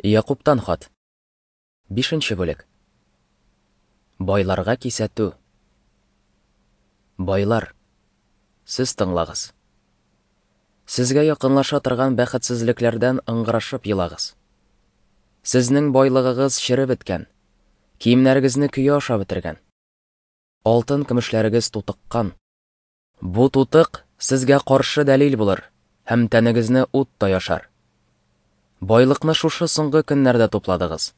Якубтан хат. Бишенче бүлек. Байларга кисәтү. Байлар, сез тыңлагыз. Сезгә якынлаша торган бәхетсезлекләрдән ыңгырашып елагыз. Сезнең байлыгыгыз череп беткән, киемнәрегезне көя аша бетергән. Алтын көмешләрегез тутыккан. Бу тутык сезгә каршы дәлил булыр һәм тәнегезне ут таяшар. Байлыкны шушы соңгы көннәрдә тупладыгыз.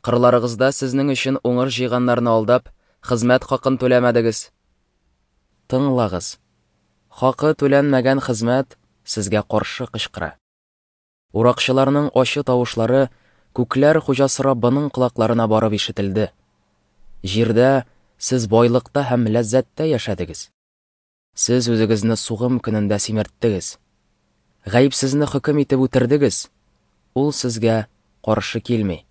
Кырларыгызда сезнең өчен уңыш җыйганнарны алдап, хезмәт хакын түләмәдегез. Тыңлагыз. Хакы түләнмәгән хезмәт сезгә каршы кычкыра. Уракчыларның ачы тавышлары күкләр хуҗасы Раббының колакларына барып ишетелде. Җирдә сез байлыкта һәм ләззәттә яшәдегез. Сез үзегезне сугым көнендә симерттегез. Гаепсезне хөкем итеп үтердегез. Ул сезгә каршы килми.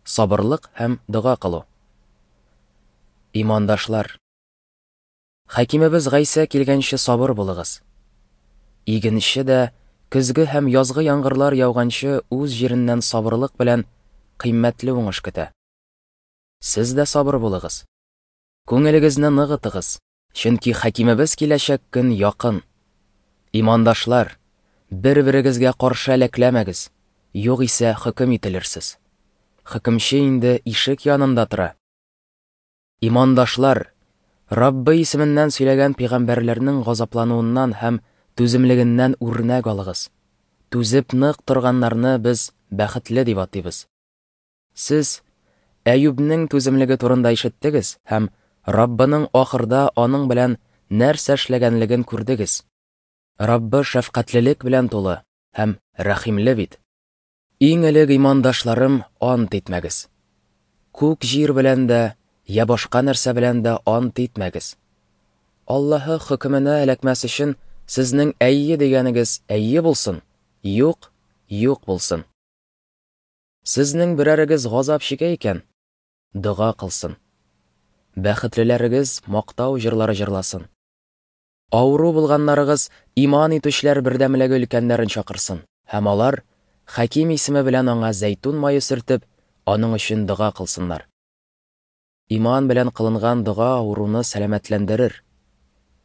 Сабырлык һәм дога кылу. Имандашлар, Хакимебез Гайсә килгәнче сабыр булыгыз. Игенче дә көзге һәм язгы яңгырлар яуганчы үз җиреннән сабырлык белән кыйммәтле уңыш көтә. Сез дә сабыр булыгыз. Күңелегезне ныгытыгыз, чөнки хакимебез киләчәк көн якын. Имандашлар, бер-берегезгә каршы әләкләмәгез, югыйсә хөкем ителерсез. Хөкемче инде ишек янында тора. Имандашлар, Раббы исеменнән сөйләгән пәйгамбәрләрнең газаплануыннан һәм түземлегеннән үрнәк алыгыз. Түзеп нык торганнарны без бәхетле дип атыйбыз. Сез Әюбнең түземлеге турында ишеттегез һәм Раббының ахырда аның белән нәрсә эшләгәнлеген күрдегез. Раббы шәфкатьлелек белән тулы һәм рәхимле бит. Иң элек имандашларым, ант итмәгез. Күк җир белән дә, я башка нәрсә белән дә ант итмәгез. Аллаһы хөкеменә эләкмәс өчен сезнең әйе дигәнегез әйе булсын, юк, юк булсын. Сезнең берәрегез газап чигә икән, дога кылсын. Бәхетлеләрегез мактау җырлары җырласын. Авыру булганнарыгыз иман итүчеләр бердәмлеге өлкәннәрен чакырсын, һәм алар Хаким исеме белән аңа зәйтүн мае сөртеп, аның өчен дога кылсыннар. Иман белән кылынган дога авыруны сәламәтләндерер.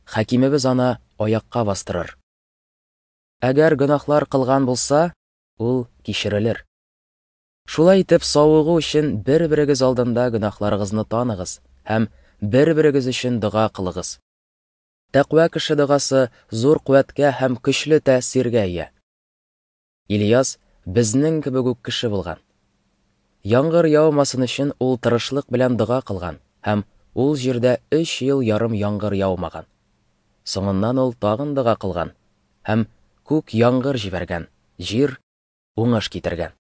Хакимебез аны аякка бастырыр. Әгәр гөнаһлар кылган булса, ул кичерелер. Шулай итеп, савыгу өчен бер-берегез алдында гөнаһларыгызны таныгыз һәм бер-берегез өчен дога кылыгыз. Тәкъва кеше догасы зур куәткә һәм көчле тәэсиргә ия. Ильяс безнең кебек үк кеше булган. Яңгыр яумасын өчен ул тырышлык белән дога кылган һәм ул җирдә 3 ел ярым яңгыр яумаган. Соңыннан ул тагын дога кылган һәм күк яңгыр җибәргән, җир уңыш китергән.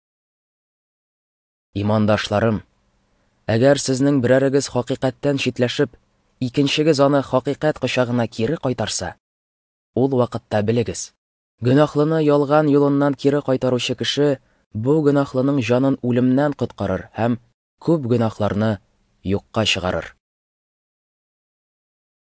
Имандашларым, әгәр сезнең берәрегез хакыйкатьтән читләшеп, икенчегез аны хакыйкать кочагына кире кайтарса, ул вакытта белегез, гөнаһлыны ялган юлыннан кире кайтаручы кеше бу гөнаһлының җанын үлемнән коткарыр һәм күп гөнаһларны юкка чыгарыр.